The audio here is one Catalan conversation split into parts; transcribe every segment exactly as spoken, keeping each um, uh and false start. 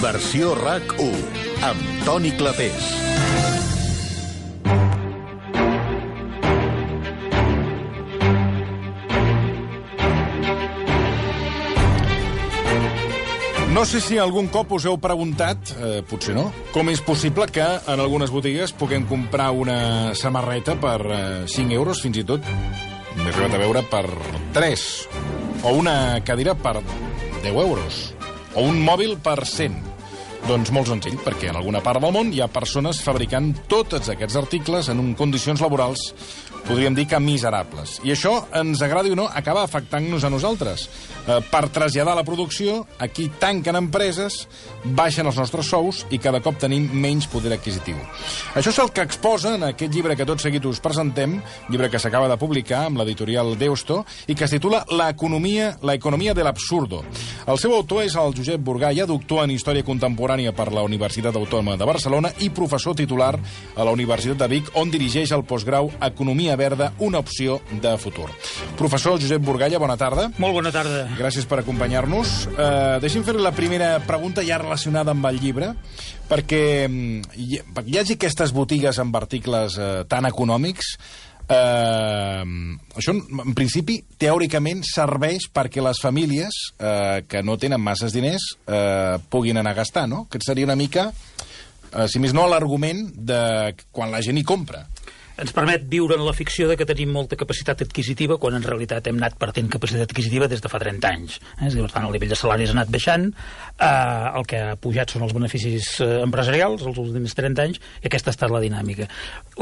Versió RAC u, amb Toni Clapés. No sé si algun cop us heu preguntat, eh, potser no, com és possible que en algunes botigues puguem comprar una samarreta per eh, cinc euros, fins i tot, m'he arribat a veure, per tres, o una cadira per deu euros, o un mòbil per cent. Doncs molt senzill, perquè en alguna part del món hi ha persones fabricant tots aquests articles en condicions laborals, podríem dir que miserables. I això, ens agradi o no, acaba afectant-nos a nosaltres. Eh, per traslladar la producció, aquí tanquen empreses, baixen els nostres sous i cada cop tenim menys poder adquisitiu. Això és el que exposa en aquest llibre que tot seguit us presentem, llibre que s'acaba de publicar amb l'editorial Deusto i que es titula La economia, la economia de l'absurdo. El seu autor és el Josep Burgaya, doctor en Història Contemporània per la Universitat Autònoma de Barcelona i professor titular a la Universitat de Vic, on dirigeix el postgrau Economia Verda, una opció de futur. Professor Josep Burgaya, bona tarda. Molt bona tarda. Gràcies per acompanyar-nos. Uh, deixi'm fer la primera pregunta ja relacionada amb el llibre, perquè hi, hi hagi aquestes botigues amb articles uh, tan econòmics. Uh, això, en principi, teòricament serveix perquè les famílies uh, que no tenen masses diners uh, puguin anar a gastar, no? Aquest seria una mica, uh, si més no, l'argument de quan la gent hi compra. Ens permet viure en la ficció de que tenim molta capacitat adquisitiva quan en realitat hem anat perdent capacitat adquisitiva des de fa trenta anys. Eh? Per tant, el nivell de salaris ha anat baixant, eh, el que ha pujat són els beneficis eh, empresarials els últims trenta anys, i aquesta ha estat la dinàmica.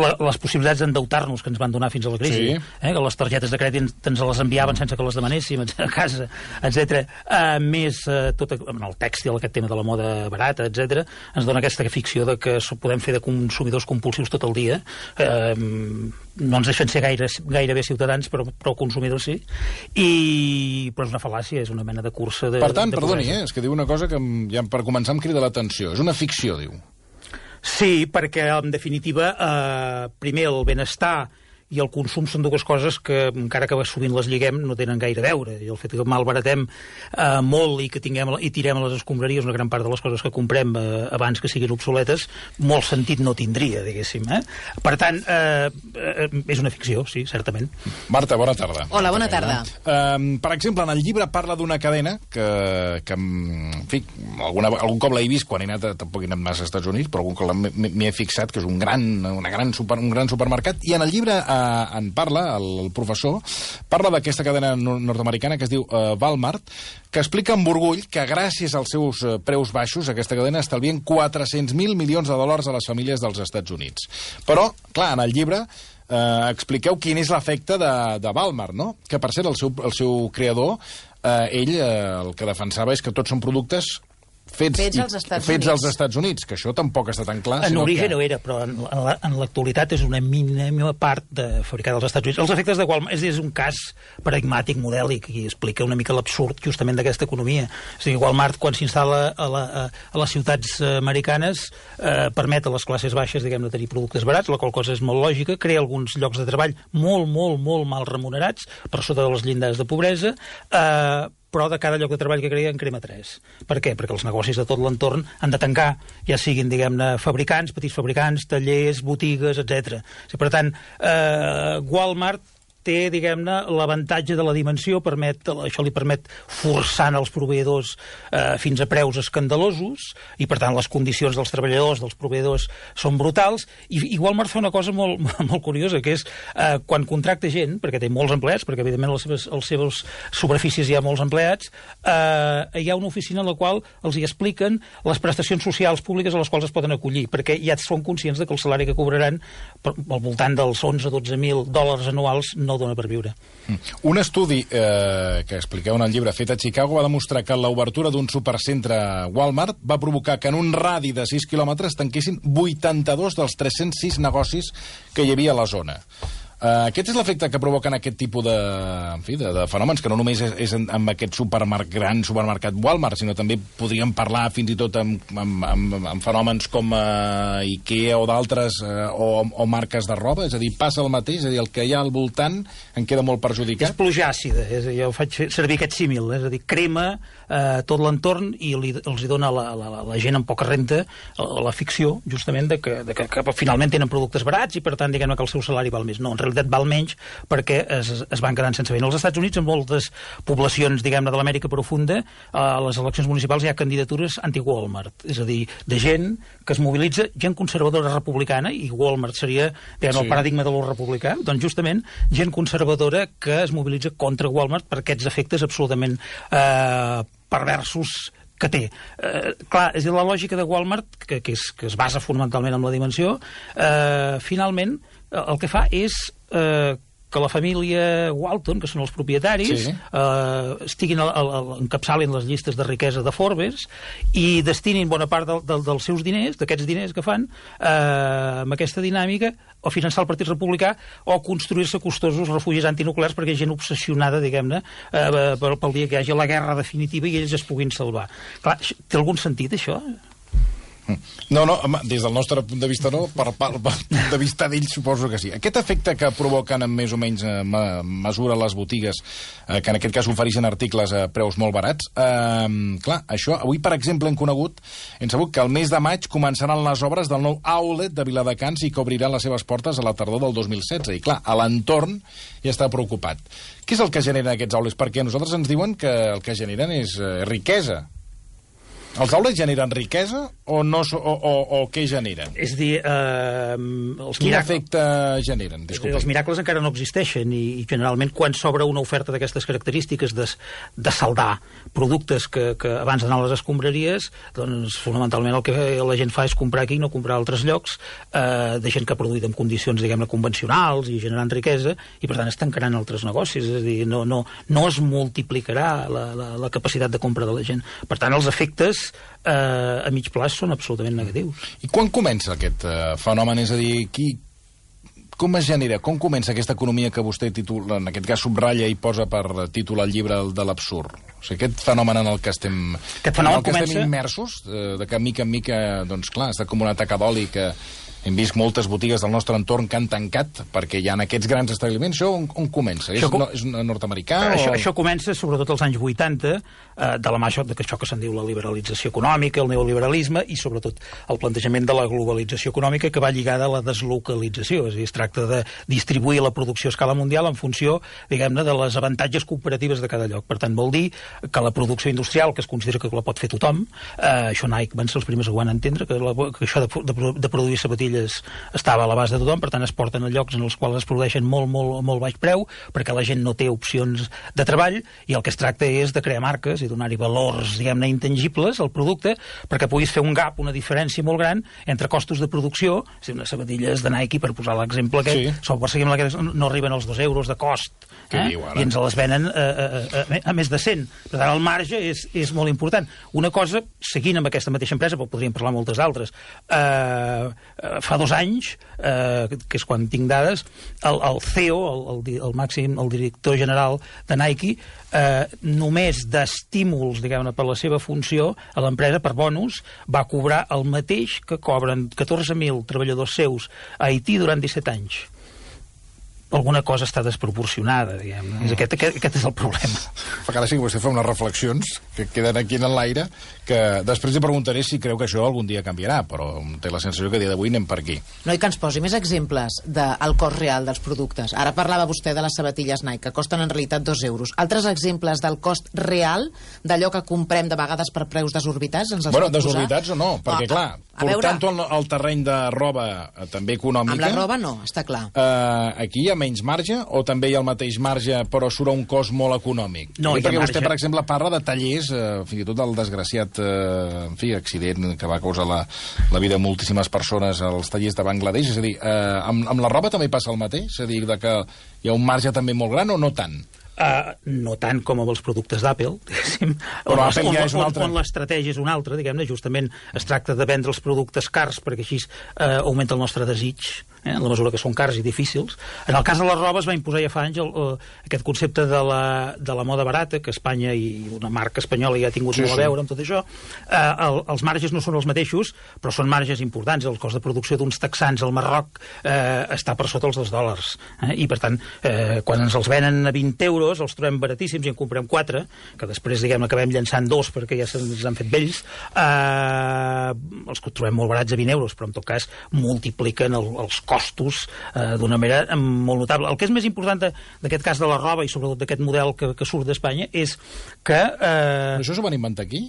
La, les possibilitats d'endeutar-nos que ens van donar fins a la crisi, sí. eh, que les targetes de crèdit ens les enviaven sense que les demanéssim a casa, etcètera, eh, més eh, tot en el tèxtil, aquest tema de la moda barata, etcètera, ens dona aquesta ficció de que podem fer de consumidors compulsius tot el dia, eh, no ens deixen ser gaire, gairebé ciutadans, però, però consumidors sí, i però és una fal·làcia, és una mena de cursa de... Per tant, de perdoni, eh, és que diu una cosa que ja per començar em crida l'atenció. És una ficció, diu. Sí, perquè en definitiva, eh, primer el benestar i el consum són dues coses que, encara que sovint les lliguem, no tenen gaire a veure. I el fet que malbaratem eh, molt i que tinguem i tirem a les escombraries una gran part de les coses que comprem eh, abans que siguin obsoletes, molt sentit no tindria, diguéssim. Eh? Per tant, eh, eh, és una ficció, sí, certament. Marta, bona tarda. Hola, bona tarda. Eh, per exemple, en el llibre parla d'una cadena que, que en fi, alguna, algun cop l'he vist quan he anat, tampoc he anat massa als Estats Units, però algun cop m'hi he fixat, que és un gran, una gran super, un gran supermercat, i en el llibre eh, en parla, el, el professor, parla d'aquesta cadena nord-americana que es diu uh, Walmart, que explica amb orgull que gràcies als seus uh, preus baixos aquesta cadena estalvien quatre-cents mil milions de dòlars a les famílies dels Estats Units. Però, clar, en el llibre uh, expliqueu quin és l'efecte de, de Walmart, no? Que, per cert, el seu, el seu creador, uh, ell uh, el que defensava és que tots són productes Fets, fets, als Estats, fets Units. als Estats Units, que això tampoc està tan clar. En origen que... no era, però en l'actualitat és una mínima part de fabricar als Estats Units. Els efectes de Walmart és, és un cas paradigmàtic, modèlic, i explica una mica l'absurd justament d'aquesta economia. És a dir, Walmart, quan s'instal·la a, la, a, a les ciutats americanes, eh, permet a les classes baixes, diguem-ne, tenir productes barats, la qual cosa és molt lògica, crea alguns llocs de treball molt, molt, molt mal remunerats, per sota de les llindars de pobresa, eh, però de cada lloc de treball que crea en crema tres. Per què? Perquè els negocis de tot l'entorn han de tancar, ja siguin, diguem-ne, fabricants, petits fabricants, tallers, botigues, etcètera. Per tant, eh, Walmart té, diguem-ne, l'avantatge de la dimensió, permet, això li permet forçant els proveïdors eh, fins a preus escandalosos, i per tant les condicions dels treballadors, dels proveïdors, són brutals, i, i Walmart fa una cosa molt, molt curiosa, que és eh, quan contracta gent, perquè té molts empleats, perquè evidentment les seves, els seves superfícies hi ha molts empleats, eh, hi ha una oficina en la qual els hi expliquen les prestacions socials públiques a les quals es poden acollir, perquè ja són conscients de que el salari que cobraran al voltant dels onze a dotze mil dòlars anuals no dona per viure. Un estudi eh, que expliqueu en el llibre fet a Chicago va demostrar que l'obertura d'un supercentre Walmart va provocar que en un radi de sis quilòmetres tanquessin vuitanta-dos dels tres-cents sis negocis que hi havia a la zona. Uh, aquest és l'efecte que provoquen aquest tipus de, en fi, de, de fenòmens, que no només és, és en, en aquest supermercat, gran supermercat Walmart, sinó també podríem parlar fins i tot amb, amb, amb, amb fenòmens com uh, Ikea o d'altres, uh, o, o marques de roba, és a dir, passa el mateix, és a dir, el que hi ha al voltant en queda molt perjudicat. És pluja àcida, és a dir, jo faig servir aquest símil, és a dir, crema eh, tot l'entorn i li, els hi dona la, la, la gent amb poca renta la ficció, justament, de que, de que, que finalment tenen productes barats i, per tant, diguem-ne que el seu salari val més. No, en realitat val menys perquè es, es van quedant sense feina. Als Estats Units, en moltes poblacions, diguem-ne, de l'Amèrica profunda, a les eleccions municipals hi ha candidatures anti-Walmart, és a dir, de gent que es mobilitza, gent conservadora republicana, i Walmart seria, diguem, sí, el paradigma de lo republicà, doncs justament gent conservadora que es mobilitza contra Walmart per aquests efectes absolutament eh, perversos que té. Eh, clar, és la lògica de Walmart, que, que, és, que es basa fonamentalment en la dimensió, eh, finalment el que fa és eh, que la família Walton, que són els propietaris, sí, eh, estiguin al, al, encapçalin les llistes de riquesa de Forbes i destinin bona part del, del, dels seus diners, d'aquests diners que fan, eh, amb aquesta dinàmica, o finançar el Partit Republicà o construir-se costosos refugis antinuclears perquè hi ha gent obsessionada, diguem-ne, eh, pel, pel dia que hi hagi la guerra definitiva i ells es puguin salvar. Clar, té algun sentit, això? No, no, home, des del nostre punt de vista no, per, per, per punt de vista d'ells suposo que sí. Aquest efecte que provoquen en més o menys eh, mesura les botigues, eh, que en aquest cas ofereixen articles a preus molt barats, eh, clar, això, avui per exemple hem conegut, hem sabut que el mes de maig començaran les obres del nou outlet de Viladecans i que obriran les seves portes a la tardor del dos mil setze, i clar, a l'entorn ja està preocupat. Què és el que generen aquests outlets? Perquè a nosaltres ens diuen que el que generen és eh, riquesa. Els outlets generen riquesa o, no, o, o, o què generen? És dir, eh, els Quin miracles... efecte generen? Disculpi. Els miracles encara no existeixen i, i generalment quan s'obre una oferta d'aquestes característiques de, de saldar productes que, que abans d'anar a les escombraries, doncs fonamentalment el que la gent fa és comprar aquí i no comprar a altres llocs, eh, de gent que ha produït en condicions, diguem-ne, convencionals i generant riquesa, i per tant es tancaran altres negocis, és a dir, no, no, no es multiplicarà la, la, la capacitat de compra de la gent. Per tant, els efectes eh, a mig plaç són absolutament negatius. I quan comença aquest eh, fenomen? És a dir, qui, com es genera, com comença aquesta economia que vostè titula, en aquest cas subratlla i posa per títol el llibre de l'absurd? O sigui, aquest fenomen en el que estem, aquest en el que comença... estem immersos, eh, de que mica en mica, doncs clar, està com una taca d'oli que hem vist moltes botigues del nostre entorn que han tancat perquè hi ha aquests grans establiments. Això on, on comença? És, com... no, és nord-americà? Això, o... això comença sobretot als anys vuitanta, eh, de la mà de que això que se'n diu la liberalització econòmica, el neoliberalisme i sobretot el plantejament de la globalització econòmica que va lligada a la deslocalització. És a dir, es tracta de distribuir la producció a escala mundial en funció, diguem-ne, de les avantatges cooperatives de cada lloc. Per tant, vol dir que la producció industrial, que es considera que la pot fer tothom, eh, això Nike van ser els primers que ho van entendre, que, la, que això de, de, de produir sabatilles estava a l'abast de tothom, per tant es porten a llocs en els quals es produeixen molt, molt, molt baix preu, perquè la gent no té opcions de treball, i el que es tracta és de crear marques i donar-hi valors, diguem-ne, intangibles al producte, perquè puguis fer un gap, una diferència molt gran entre costos de producció, si unes sabatilles de Nike, per posar l'exemple aquest, sí, sol perseguim la que no arriben als dos euros de cost, eh? I ens les venen a, a, a, a més de cent. Per tant, el marge és, és molt important. Una cosa, seguint amb aquesta mateixa empresa, però podríem parlar moltes altres, eh, fa dos anys, eh, que és quan tinc dades, el, el C E O, el, el, el màxim, el director general de Nike, eh, només d'estímuls, diguem-ne, per la seva funció, a l'empresa, per bonus, va cobrar el mateix que cobren catorze mil treballadors seus a Haití durant disset anys. Alguna cosa està desproporcionada, diguem. Mm. Aquest, aquest, aquest és el problema. Fa cara sí que vostè fa unes reflexions que queden aquí en l'aire, que després li preguntaré si creu que això algun dia canviarà, però té la sensació que a dia d'avui anem per aquí. No, i que ens posi més exemples del cost real dels productes. Ara parlava vostè de les sabatilles Nike, que costen en realitat dos euros. Altres exemples del cost real d'allò que comprem de vegades per preus desorbitats? Ens els bueno, pot desorbitats posar? o no, perquè oh, clar, portant-ho al, al terreny de roba eh, també econòmica... Amb la roba no, està clar. Eh, aquí hi ha menys marge o també hi ha el mateix marge però surt a un cost molt econòmic? No, perquè marge. Vostè, per exemple, parla de tallers, eh, fins i tot del desgraciat eh, en fi, accident que va causar la, la vida de moltíssimes persones als tallers de Bangladesh. És a dir, eh, amb, amb la roba també passa el mateix? És a dir, de que hi ha un marge també molt gran o no tant? Uh, no tant com amb els productes d'Apple, diguéssim, però on, Apple ja on, és una altra. on, on l'estratègia és una altra, diguem-ne, justament es tracta de vendre els productes cars perquè així uh, augmenta el nostre desig eh, en la mesura que són cars i difícils. En el cas de la roba es va imposar ja fa anys el, el, aquest concepte de la, de la moda barata, que Espanya i una marca espanyola ja ha tingut sí, molt sí. a veure amb tot això. Eh, el, els marges no són els mateixos, però són marges importants. El cost de producció d'uns texans al Marroc eh, està per sota els dos dòlars. Eh, I, per tant, eh, quan ens els venen a vint euros, els trobem baratíssims i en comprem quatre, que després, diguem, acabem llançant dos perquè ja se'ns han fet vells, eh, els que trobem molt barats a vint euros, però en tot cas multipliquen el, els costos eh, d'una manera molt notable. El que és més important d'aquest cas de la roba i sobretot d'aquest model que, que surt d'Espanya és que... Eh, això s'ho van inventar aquí?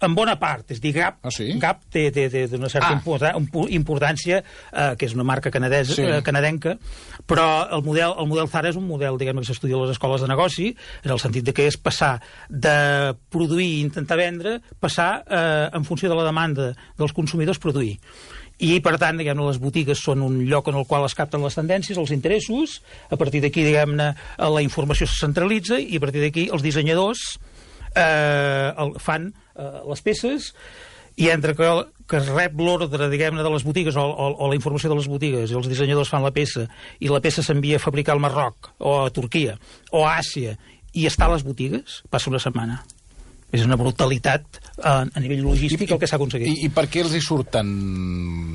En bona part, és a dir, Gap, ah, sí? Gap té, té, té una certa ah. importància, eh, que és una marca canadesa, sí. eh, canadenca, però el model, el model Zara és un model, diguem, que s'estudia a les escoles de negoci, en el sentit de que és passar de produir i intentar vendre, passar, eh, en funció de la demanda dels consumidors, produir. I, per tant, diguem-ne, les botigues són un lloc en el qual es capten les tendències, els interessos, a partir d'aquí, diguem-ne, la informació se centralitza i a partir d'aquí els dissenyadors eh, el, fan eh, les peces i entre que, que es rep l'ordre, diguem-ne, de les botigues o, o, o la informació de les botigues i els dissenyadors fan la peça i la peça s'envia a fabricar al Marroc o a Turquia o a Àsia i està a les botigues, passa una setmana. És una brutalitat a, a nivell logístic I, el que s'ha aconseguit. I, I per què els hi surt tan,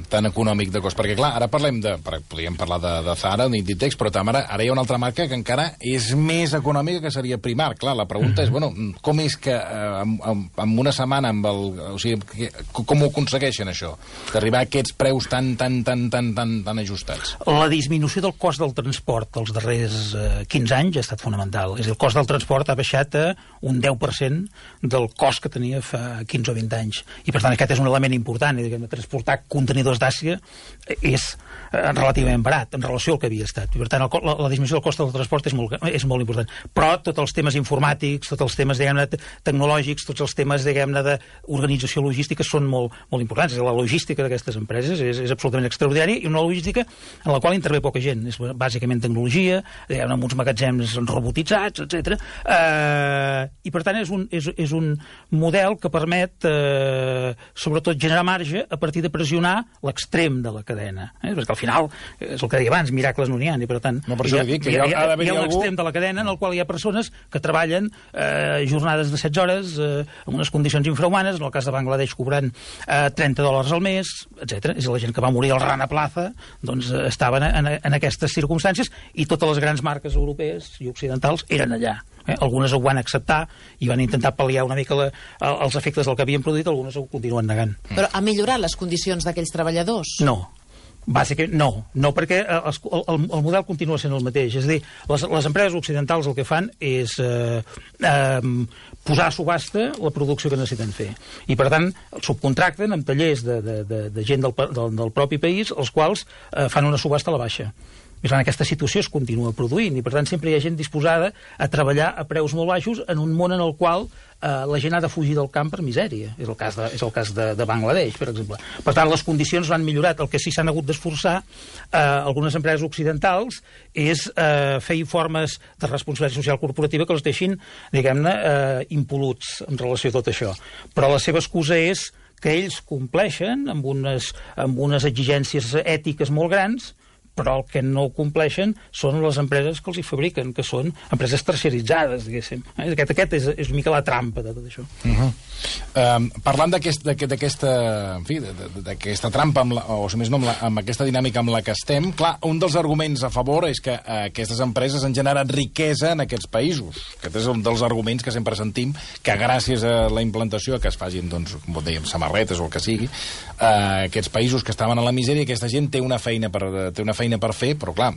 tan econòmic de cost? Perquè, clar, ara parlem de... Podríem parlar de, de Zara, d'Inditex, però ara, ara hi ha una altra marca que encara és més econòmica que seria Primark. Clar, la pregunta mm-hmm. és, bueno, com és que eh, en, en una setmana, amb el, o sigui, que, com ho aconsegueixen, això? D'arribar a aquests preus tan, tan, tan, tan, tan, tan ajustats? La disminució del cost del transport els darrers eh, quinze anys ha estat fonamental. És a dir, el cost del transport ha baixat a un deu per cent del cost que tenia fa quinze o vint anys. I, per tant, aquest és un element important. Diguem, transportar contenidors d'Àsia és eh, relativament barat en relació al que havia estat. I, per tant, el, la, la disminució del cost del transport és molt, és molt important. Però tots els temes informàtics, tots els temes, diguem-ne, tecnològics, tots els temes, diguem-ne, d'organització logística són molt, molt importants. La logística d'aquestes empreses és, és absolutament extraordinària i una logística en la qual intervé poca gent. És bàsicament tecnologia, diguem-ne, amb uns magatzems robotitzats, etcètera. Eh, I, per tant, és un, és, és un model que permet, eh, sobretot, generar marge a partir de pressionar l'extrem de la cadena. Eh? Perquè al final, és el que deia abans, miracles no n'hi ha, i per tant, no, per hi ha, dic, que hi ha, hi ha, hi ha, hi ha un algú... extrem de la cadena en el qual hi ha persones que treballen eh, jornades de setze hores eh, en unes condicions infrahumanes, en el cas de Bangladesh cobrant eh, trenta dòlars al mes, etcètera. És la gent que va morir al Rana Plaza, doncs eh, estaven en, en aquestes circumstàncies i totes les grans marques europees i occidentals eren allà. Eh? Algunes ho van acceptar i van intentar pal·liar una mica la, els efectes del que havien produït, algunes ho continuen negant. Però ha millorat les condicions d'aquells treballadors? No. Bàsicament, no. No, perquè el, el, el model continua sent el mateix. És a dir, les, les empreses occidentals el que fan és eh, eh, posar a subhasta la producció que necessiten fer. I, per tant, subcontracten amb tallers de, de, de, de gent del, del, del propi país, els quals eh, fan una subhasta a la baixa. I en aquesta situació es continua produint i, per tant, sempre hi ha gent disposada a treballar a preus molt baixos en un món en el qual eh, la gent ha de fugir del camp per misèria. És el cas de, és el cas de, de Bangladesh, per exemple. Per tant, les condicions han millorat. El que sí s'han hagut d'esforçar eh, algunes empreses occidentals és eh, fer informes de responsabilitat social corporativa que els deixin, diguem-ne, eh, impoluts en relació a tot això. Però la seva excusa és que ells compleixen amb unes, amb unes exigències ètiques molt grans, però el que no compleixen són les empreses que els hi fabriquen, que són empreses terciaritzades, diguéssim. Aquest, aquest és, és una mica la trampa de tot això. Uh-huh. Um, parlant d'aquesta en fi, d'aquesta trampa, amb la, o si més no, amb, la, amb aquesta dinàmica amb la que estem, clar, un dels arguments a favor és que uh, aquestes empreses han generat riquesa en aquests països. Aquest és un dels arguments que sempre sentim, que gràcies a la implantació que es facin, doncs, com dèiem, samarretes o el que sigui, uh, aquests països que estaven a la misèria, aquesta gent té una feina per, té una feina per fer, però clar,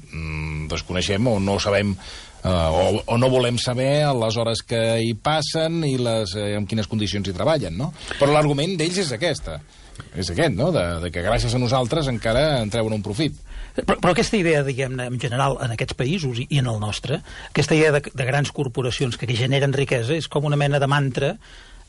desconeixem o no sabem uh, o, o no volem saber les hores que hi passen i les, eh, en quines condicions hi treballen, no? Però l'argument d'ells és aquesta, és aquest, no? De, de que gràcies a nosaltres encara en treuen un profit. Però, però aquesta idea, diguem-ne, en general, en aquests països i, i en el nostre, aquesta idea de, de grans corporacions que generen riquesa és com una mena de mantra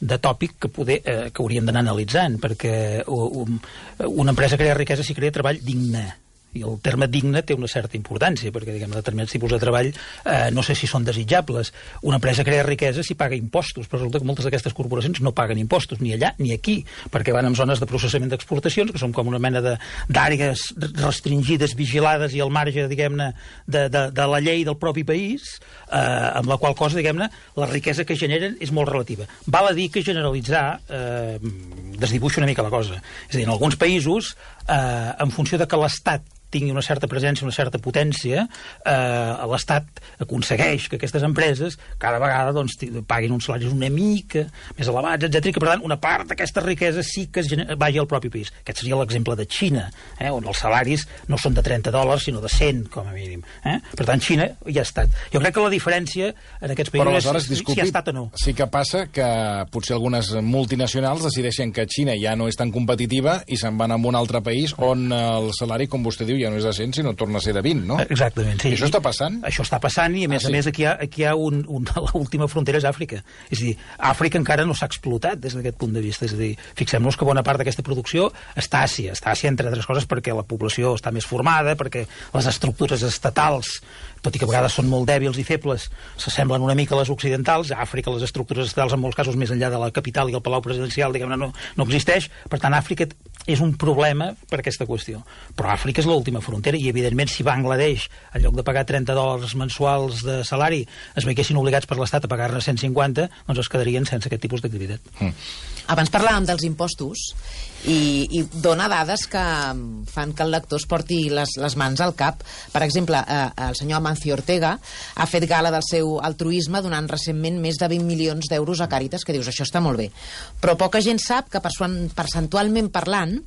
de tòpic que, poder, eh, que hauríem d'anar analitzant, perquè um, una empresa crea riquesa si crea treball digne. i el terme digne té una certa importància, perquè diguem, determinats tipus de treball eh, no sé si són desitjables. Una empresa crea riquesa si paga impostos, però resulta que moltes d'aquestes corporacions no paguen impostos, ni allà ni aquí, perquè van en zones de processament d'exportacions, que són com una mena d'àrees restringides, vigilades i al marge, diguem-ne, de, de, de la llei del propi país, eh, amb la qual cosa, diguem-ne, la riquesa que generen és molt relativa. Val a dir que generalitzar eh, desdibuixa una mica la cosa. És a dir, en alguns països, eh, en funció de que l'Estat tingui una certa presència, una certa potència, eh, l'Estat aconsegueix que aquestes empreses cada vegada doncs, paguin uns salaris una mica més elevats, etcètera, i que per tant una part d'aquesta riquesa sí que es vagi al propi país. Aquest seria l'exemple de Xina, eh, on els salaris no són de trenta dòlars, sinó de cent, com a mínim. Eh? Per tant, Xina ja ha estat. Jo crec que la diferència en aquests països és si ha estat o no. Sí que passa que potser algunes multinacionals decideixen que Xina ja no és tan competitiva i se'n van a un altre país on el salari, com vostè diu, ja no és de cent, sinó torna a ser de vint, no? Exactament, sí. I això està passant? Això està passant i, a més ah, sí. a més, aquí hi ha, aquí hi ha un, un, l'última frontera és Àfrica. És a dir, Àfrica encara no s'ha explotat des d'aquest punt de vista. És a dir, fixem-nos que bona part d'aquesta producció està a Àsia. Està a Àsia, entre altres coses, perquè la població està més formada, perquè les estructures estatals, tot i que a vegades són molt dèbils i febles, s'assemblen una mica a les occidentals. A Àfrica les estructures estatals, en molts casos, més enllà de la capital i el palau presidencial, diguem-ne, no, no existeix. Per tant, Àfrica és un problema per aquesta qüestió. Però Àfrica és l'última frontera i, evidentment, si Bangladesh, en lloc de pagar trenta dòlars mensuals de salari, es veiessin obligats per l'Estat a pagar-ne cent cinquanta, doncs es quedarien sense aquest tipus d'activitat. Mm. Abans parlàvem dels impostos i, i dona dades que fan que el lector es porti les, les mans al cap. Per exemple, eh, el senyor Amancio Ortega ha fet gala del seu altruisme donant recentment més de vint milions d'euros a Càritas, que dius, això està molt bé. Però poca gent sap que percentualment parlant,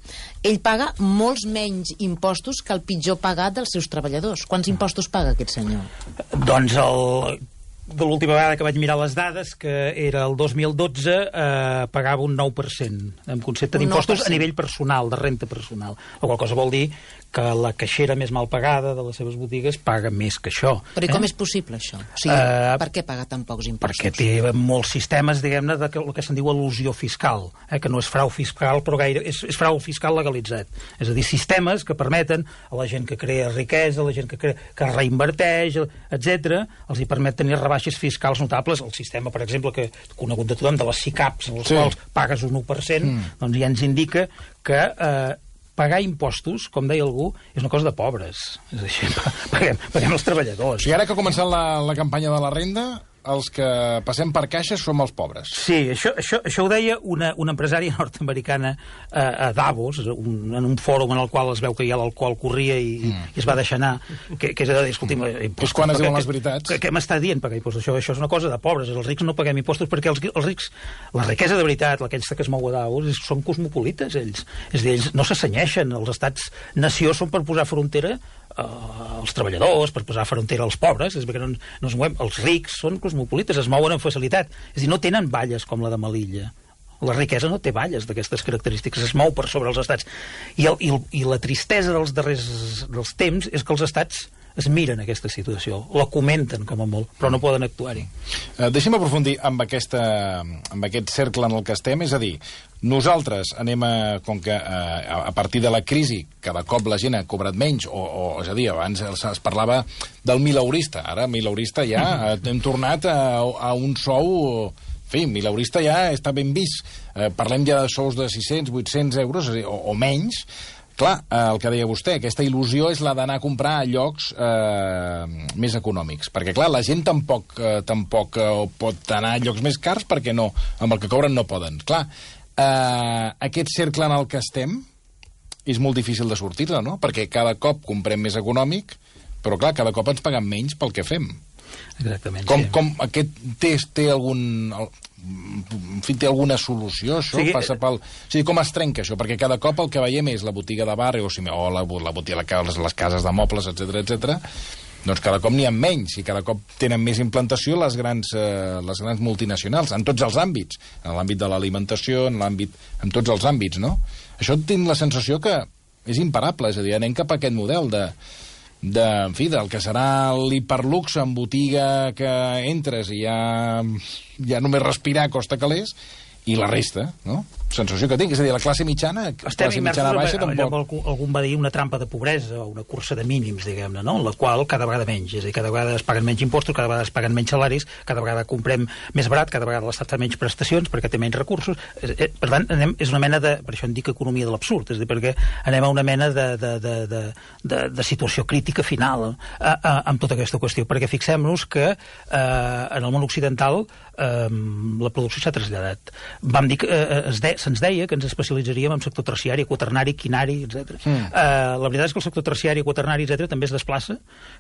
ell paga molts menys impostos que el pitjor pagat dels seus treballadors. Quants impostos paga aquest senyor? Doncs el... de l'última vegada que vaig mirar les dades, que era el dos mil dotze, eh, pagava un nou per cent en concepte d'impostos a nivell personal, de renta personal. La qual cosa vol dir que la caixera més mal pagada de les seves botigues paga més que això. Però i com eh? és possible, això? O sigui, uh, per què paga tan pocs impostos? Perquè té molts sistemes, diguem-ne, de el que se'n diu elusió fiscal, eh? que no és frau fiscal, però gaire és, és frau fiscal legalitzat. És a dir, sistemes que permeten a la gent que crea riquesa, a la gent que, crea, que reinverteix, etcètera, els hi permet tenir rebaixes fiscals notables. El sistema, per exemple, que conegut de tothom, de les SICAPs, en els sí. quals pagues un u per cent, mm. doncs ja ens indica que eh, pagar impostos, com deia algú, és una cosa de pobres. És així, paguem, paguem els treballadors. I ara que ha començat la, la campanya de la renda, els que passem per caixes som els pobres. Sí, això, això, això ho deia una, una empresària nord-americana eh, a Davos, un, en un fòrum en el qual es veu que ja l'alcohol corria i, mm. i es va deixar anar, que, que és a dir, escolti'm... És quan es diuen les veritats. Què m'està dient pagar impostos? Això, això és una cosa de pobres. Els rics no paguem impostos perquè els, els rics, la riquesa de veritat, aquesta que es mou a Davos, són cosmopolites, ells. És a dir, ells no s'assenyeixen. Els estats-nació són per posar frontera Uh, els treballadors, per posar frontera als pobres, és perquè no, no es movem. Els rics són cosmopolites, es mouen amb facilitat. És a dir, no tenen valles com la de Melilla. La riquesa no té valles d'aquestes característiques, es mou per sobre els estats. I, el, i, el, i la tristesa dels darrers dels temps és que els estats es miren aquesta situació, la comenten com a molt, però no poden actuar-hi. Uh, deixem aprofundir amb, aquesta, amb aquest cercle en el que estem, és a dir, nosaltres anem a, com que a, a partir de la crisi cada cop la gent ha cobrat menys, o, o és a dir, abans es, es parlava del mileurista, ara mileurista ja mm-hmm. hem tornat a, a un sou... En fi, mileurista ja està ben vist. Eh, parlem ja de sous de sis-cents, vuit-cents euros o, o menys. Clar, eh, el que deia vostè, aquesta il·lusió és la d'anar a comprar a llocs eh, més econòmics. Perquè, clar, la gent tampoc, eh, tampoc eh, pot anar a llocs més cars perquè no, amb el que cobren no poden. Clar, eh, aquest cercle en el que estem és molt difícil de sortir-ne, no? Perquè cada cop comprem més econòmic, però, clar, cada cop ens paguen menys pel que fem. Exactament, com, sí. Com aquest té, té algun... En fi, té alguna solució, això? Sí, passa pel... O sigui, com es trenca això? Perquè cada cop el que veiem és la botiga de barri o, si, o la, la botiga, les, les cases de mobles, etcètera, etcètera. Doncs cada cop n'hi ha menys i cada cop tenen més implantació les grans, eh, les grans multinacionals, en tots els àmbits. En l'àmbit de l'alimentació, en l'àmbit... en tots els àmbits, no? Això tinc la sensació que és imparable, és a dir, anem cap a aquest model de... de, en fi, del que serà l'hiperluxe en botiga que entres i ja, ja només respirar costa calés, i la resta, no? sensació que tinc. És a dir, la classe mitjana, Estem classe mitjana baixa, allò, tampoc... algú, algú va dir una trampa de pobresa o una cursa de mínims, diguem-ne, no? En la qual cada vegada menys, és a dir, cada vegada es paguen menys impostos, cada vegada es paguen menys salaris, cada vegada comprem més barat, cada vegada l'Estat fa menys prestacions perquè té menys recursos. Per tant, anem, és una mena de... Per això en dic economia de l'absurd, és a dir, perquè anem a una mena de, de, de, de, de, de situació crítica final a, a, amb tota aquesta qüestió, perquè fixem-nos que eh, en el món occidental eh, la producció s'ha traslladat. Vam dir que eh, es de, se'ns deia que ens especialitzaríem en sector terciari, quaternari, quinari, etcètera. Mm. Eh, la veritat és que el sector terciari, quaternari, etcètera també es desplaça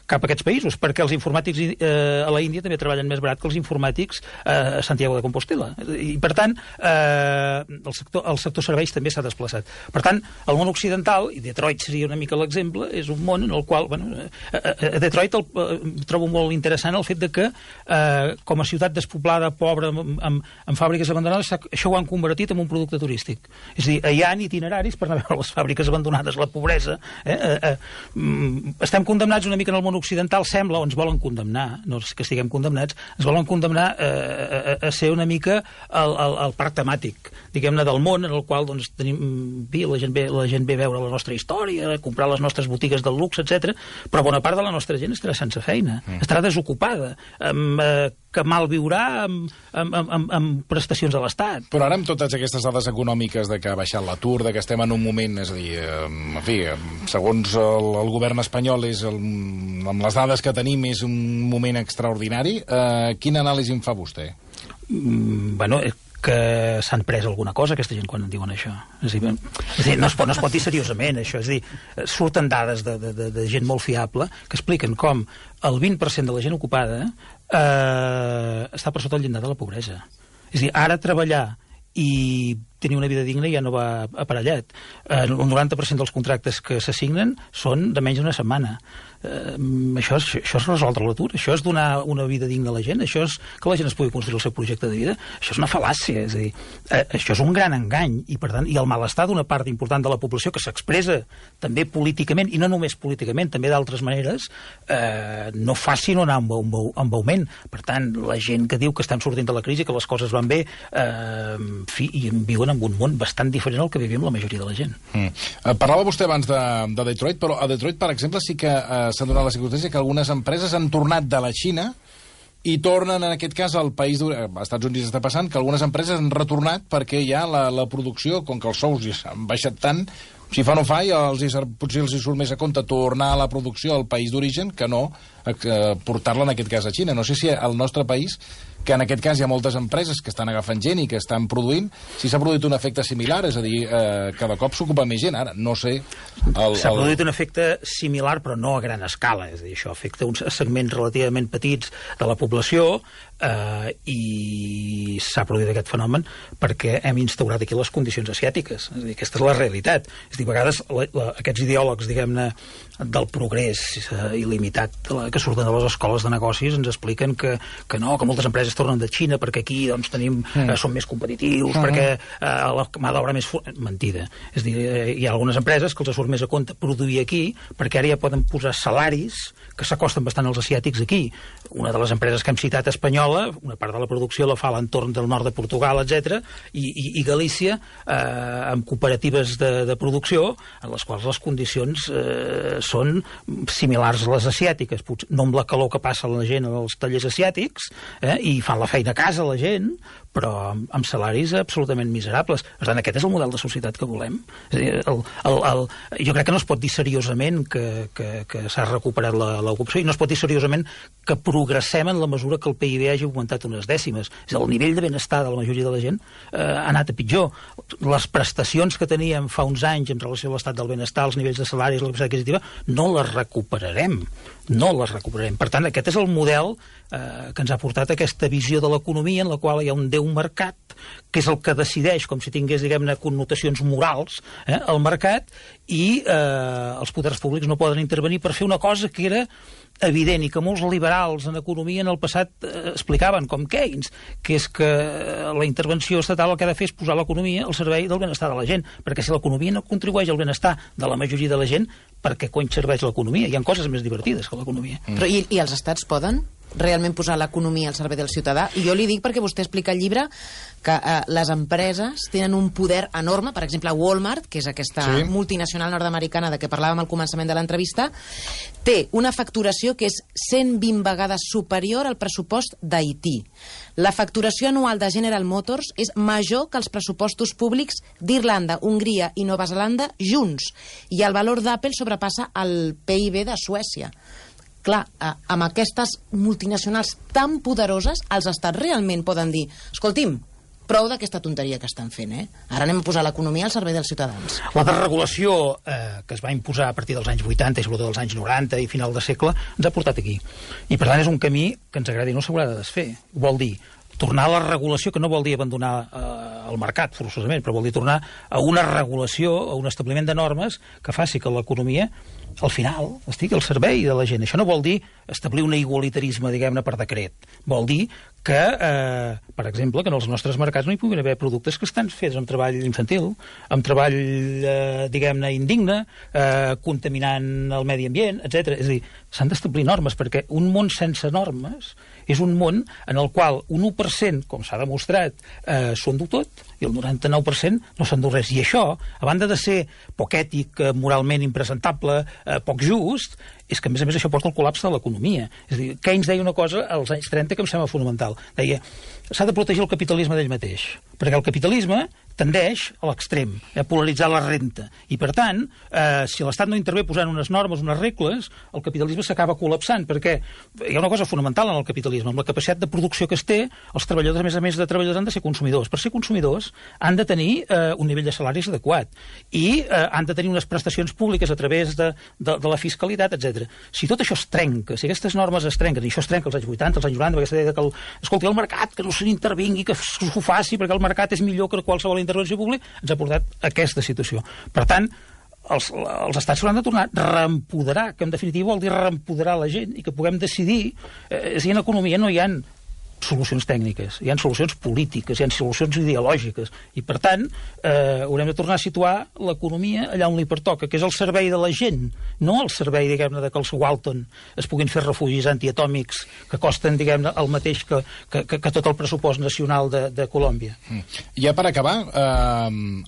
cap a aquests països, perquè els informàtics eh, a la Índia també treballen més barat que els informàtics eh, a Santiago de Compostela. I, per tant, eh, el, sector, el sector serveis també s'ha desplaçat. Per tant, el món occidental, i Detroit seria una mica l'exemple, és un món en el qual... Bueno, a, a Detroit el, eh, trobo molt interessant el fet de que, eh, com a ciutat despoblada, pobra, amb, amb, amb fàbriques abandonades, això ho han convertit en un producte turístic. És a dir, hi ha itineraris per anar a veure les fàbriques abandonades, la pobresa. Eh? Eh, eh, estem condemnats una mica en el món occidental, sembla, o ens volen condemnar, no és que estiguem condemnats, ens volen condemnar eh, a, a ser una mica el, el, el parc temàtic, diguem-ne, del món, en el qual doncs, tenim, bé, la, gent ve, la gent ve a veure la nostra història, a comprar les nostres botigues del luxe, etcètera, però bona part de la nostra gent estarà sense feina, mm. estarà desocupada, amb, eh, que mal viurà amb, amb, amb, amb prestacions de l'Estat. Però ara amb totes aquestes dades econòmiques de que ha baixat l'atur, de que estem en un moment, és a dir, en fi, segons el, el govern espanyol, és el, amb les dades que tenim, és un moment extraordinari, eh, quina anàlisi en fa vostè? Mm, bueno, que s'han pres alguna cosa, aquesta gent, quan en diuen això. És a dir, és a dir no, es pot, no es pot dir seriosament, això. És a dir, surten dades de, de, de, de gent molt fiable que expliquen com el vint per cent de la gent ocupada eh, està per sota el llindar de la pobresa. És a dir, ara treballar i tenir una vida digna ja no va aparellat. Eh, el noranta per cent dels contractes que s'assignen són de menys d'una setmana. Eh, això, és, això és resoldre l'atur, això és donar una vida digna a la gent, això és que la gent es pugui construir el seu projecte de vida, això és una fal·làcia, és a dir, eh, això és un gran engany, i per tant, i el malestar d'una part important de la població que s'expressa també políticament, i no només políticament, també d'altres maneres, eh, no fa sinó anar amb, amb, amb augment. Per tant, la gent que diu que estem sortint de la crisi, que les coses van bé, eh, en fi, i viuen en un món bastant diferent al que vivim la majoria de la gent. Mm. Eh, parlava vostè abans de, de Detroit, però a Detroit, per exemple, sí que eh, s'ha donat la circumstància que algunes empreses han tornat de la Xina i tornen, en aquest cas, al país d'origen. Als Estats Units està passant que algunes empreses han retornat perquè ja la, la producció, com que els sous ja han baixat tant, si fa no fa, ja els hi, potser els hi surt més a compte tornar a la producció al país d'origen que no eh, portar-la, en aquest cas, a Xina. No sé si al nostre país, que en aquest cas hi ha moltes empreses que estan agafant gent i que estan produint, si s'ha produït un efecte similar, és a dir, eh, cada cop s'ocupa més gent. Ara, no sé... El, s'ha el... produït un efecte similar, però no a gran escala. És a dir, això afecta uns segments relativament petits de la població eh, i s'ha produït aquest fenomen perquè hem instaurat aquí les condicions asiàtiques. És a dir, aquesta és la realitat. És a dir, a vegades la, la, aquests ideòlegs, diguem-ne, del progrés eh, il·limitat de la, que surten de les escoles de negocis ens expliquen que, que no, que moltes empreses tornen de Xina perquè aquí doncs, tenim, mm. eh, som més competitius, mm. perquè eh, la mà d'obra més... Mentida. És a dir, eh, hi ha algunes empreses que els surt més a compte produir aquí perquè ara ja poden posar salaris que s'acosten bastant als asiàtics aquí. Una de les empreses que hem citat espanyola, una part de la producció la fa a l'entorn del nord de Portugal, etcètera, i, i, i Galícia, eh, amb cooperatives de, de producció, en les quals les condicions eh, són similars a les asiàtiques, potser no amb la calor que passa la gent als tallers asiàtics, eh, i fan la feina a casa la gent, però amb, amb salaris absolutament miserables. Per tant, aquest és el model de societat que volem. És a dir, el, el, el, jo crec que no es pot dir seriosament que, que, que s'ha recuperat l'ocupació i no es pot dir seriosament que progressem en la mesura que el P I B hagi augmentat unes dècimes. És a dir, el nivell de benestar de la majoria de la gent eh, ha anat a pitjor. Les prestacions que teníem fa uns anys en relació a l'estat del benestar, els nivells de salaris, la capacitat adquisitiva, no les recuperarem. No les recuperarem. Per tant, aquest és el model eh, que ens ha portat aquesta visió de l'economia en la qual hi ha un déu mercat, que és el que decideix, com si tingués, diguem-ne, connotacions morals, eh, el mercat, i eh, els poders públics no poden intervenir per fer una cosa que era evident i que molts liberals en economia en el passat eh, explicaven, com Keynes, que és que la intervenció estatal el que ha de fer és posar l'economia al servei del benestar de la gent, perquè si l'economia no contribueix al benestar de la majoria de la gent, per què cony serveix l'economia? Hi ha coses més divertides que l'economia. Mm. Però i, i els estats poden? realment posar l'economia al servei del ciutadà? I jo li dic perquè vostè explica al llibre que eh, les empreses tenen un poder enorme. Per exemple, Walmart, que és aquesta sí. multinacional nord-americana de què parlàvem al començament de l'entrevista, té una facturació que és cent vint vegades superior al pressupost d'Haití. La facturació anual de General Motors és major que els pressupostos públics d'Irlanda, Hongria i Nova Zelanda junts. I el valor d'Apple sobrepassa el P I B de Suècia. Clar, amb aquestes multinacionals tan poderoses, els estats realment poden dir: escolti'm, prou d'aquesta tonteria que estan fent, eh? Ara anem a posar l'economia al servei dels ciutadans. La desregulació eh, que es va imposar a partir dels anys vuitanta i sobretot dels anys noranta i final de segle ens ha portat aquí. I per tant és un camí que ens agradi no s'haurà de desfer. Vol dir tornar a la regulació, que no vol dir abandonar eh, el mercat forçosament, però vol dir tornar a una regulació, a un establiment de normes que faci que l'economia al final estigui al servei de la gent. Això no vol dir establir un igualitarisme, diguem-ne, per decret. Vol dir que, eh, per exemple, que en els nostres mercats no hi puguin haver productes que estan fets amb treball infantil, amb treball, eh, diguem-ne, indigne, eh, contaminant el medi ambient, etcètera. És a dir, s'han d'establir normes, perquè un món sense normes és un món en el qual un u per cent, com s'ha demostrat, eh, s'ho endú tot, i el noranta-nou per cent no s'endú res. I això, a banda de ser poc ètic, eh, moralment impresentable, eh, poc just, és que, a més a més, això porta al col·lapse de l'economia. És a dir, Keynes deia una cosa als anys trenta que em sembla fonamental. Deia, s'ha de protegir el capitalisme d'ell mateix, perquè el capitalisme tendeix a l'extrem, a polaritzar la renta. I, per tant, eh, si l'Estat no intervé posant unes normes, unes regles, el capitalisme s'acaba col·lapsant, perquè hi ha una cosa fonamental en el capitalisme. Amb la capacitat de producció que es té, els treballadors, a més a més de treballadors, han de ser consumidors. Per ser consumidors, han de tenir eh, un nivell de salaris adequat i eh, han de tenir unes prestacions públiques a través de, de, de la fiscalitat, etcètera. Si tot això es trenca, si aquestes normes es trenquen, i això es trenca als anys vuitanta, als anys noranta, perquè s'ha dit que, el, escolti, el mercat, que no se n'intervingui, que s'ho faci, perquè el mercat és millor que qualsevol intervenció pública, ens ha portat a aquesta situació. Per tant, els, els estats s'hauran de tornar a reempoderar, que en definitiva vol dir reempoderar la gent i que puguem decidir. Eh, si en economia no hi ha solucions tècniques, hi ha solucions polítiques, hi ha solucions ideològiques, i per tant eh, haurem de tornar a situar l'economia allà on li pertoca, que és al servei de la gent, no al servei, diguem-ne, de que els Walton es puguin fer refugis antiatòmics que costen, diguem-ne, el mateix que, que, que, que tot el pressupost nacional de, de Colòmbia. Ja per acabar, eh,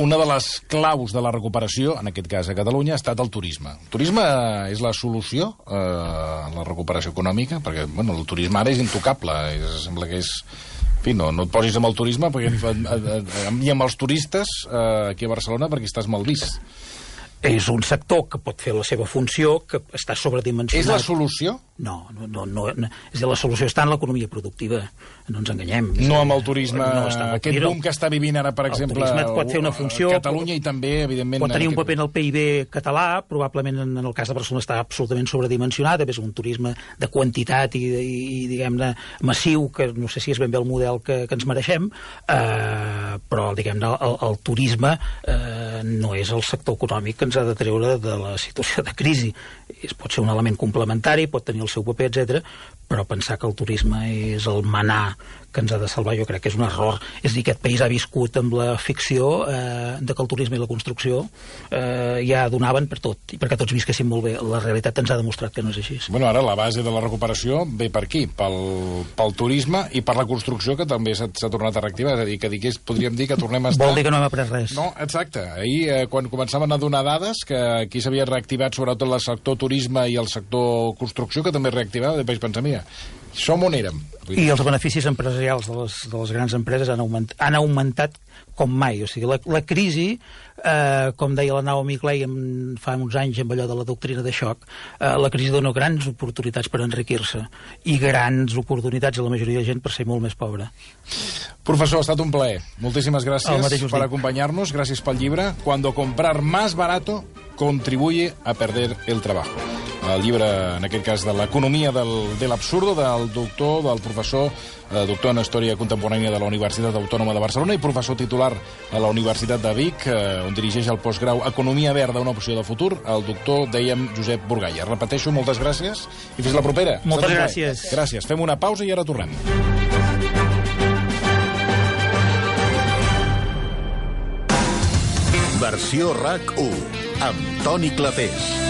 una de les claus de la recuperació, en aquest cas a Catalunya, ha estat el turisme. El turisme és la solució eh, a la recuperació econòmica, perquè bueno, el turisme ara és intocable. És, sembla que és... En fi, no, no et posis amb el turisme perquè, i amb els turistes eh, aquí a Barcelona perquè estàs mal vist. És un sector que pot fer la seva funció, que està sobredimensionat. És la solució? No, no, no, no, no. És dir, la solució està en l'economia productiva. No ens enganyem. No amb el turisme, no, aquest boom que està vivint ara, per el exemple, turisme pot fer una funció, Catalunya i també, evidentment... Pot tenir un aquest... paper en el P I B català, probablement en el cas de Barcelona està absolutament sobredimensionat, és un turisme de quantitat i, i, i diguem-ne, massiu, que no sé si és ben bé el model que, que ens mereixem, eh, però, diguem-ne, el, el turisme eh, no és el sector econòmic que ens ha de treure de la situació de crisi. Es pot ser un element complementari, pot tenir el seu paper, etcètera, però pensar que el turisme és el manar que ens ha de salvar, jo crec que és un error. És a dir, aquest país ha viscut amb la ficció eh, de que el turisme i la construcció eh, ja donaven per tot, i perquè tots visquessin molt bé. La realitat ens ha demostrat que no és així. Bueno, ara la base de la recuperació ve per aquí, pel, pel turisme i per la construcció, que també s'ha tornat a reactivar. És a dir, que digués, podríem dir que tornem a estar... Vol dir que no hem après res. No, exacte. Ahir, eh, quan començaven a donar dades, que aquí s'havia reactivat sobretot el sector turisme i el sector construcció, que també reactivava, després pensar, mira, som on érem. I els beneficis empresarials de les, de les grans empreses han, augment, han augmentat com mai. O sigui, la, la crisi, eh, com deia la Naomi Klein fa uns anys amb allò de la doctrina de xoc, eh, la crisi dona grans oportunitats per enriquir-se i grans oportunitats a la majoria de gent per ser molt més pobra. Professor, ha estat un plaer. Moltíssimes gràcies per acompanyar-nos. Gràcies pel llibre. Cuando comprar más barato contribuye a perder el trabajo. El llibre, en aquest cas, de l'economia del, de l'absurdo, del doctor, del professor, eh, doctor en Història Contemporània de la Universitat Autònoma de Barcelona i professor titular a la Universitat de Vic, eh, on dirigeix el postgrau Economia Verda, una opció de futur, el doctor, dèiem, Josep Burgaya. Repeteixo, moltes gràcies i fins la propera. Moltes gràcies. Gràcies. Fem una pausa i ara tornem. Versió RAC u, amb Toni Clapés.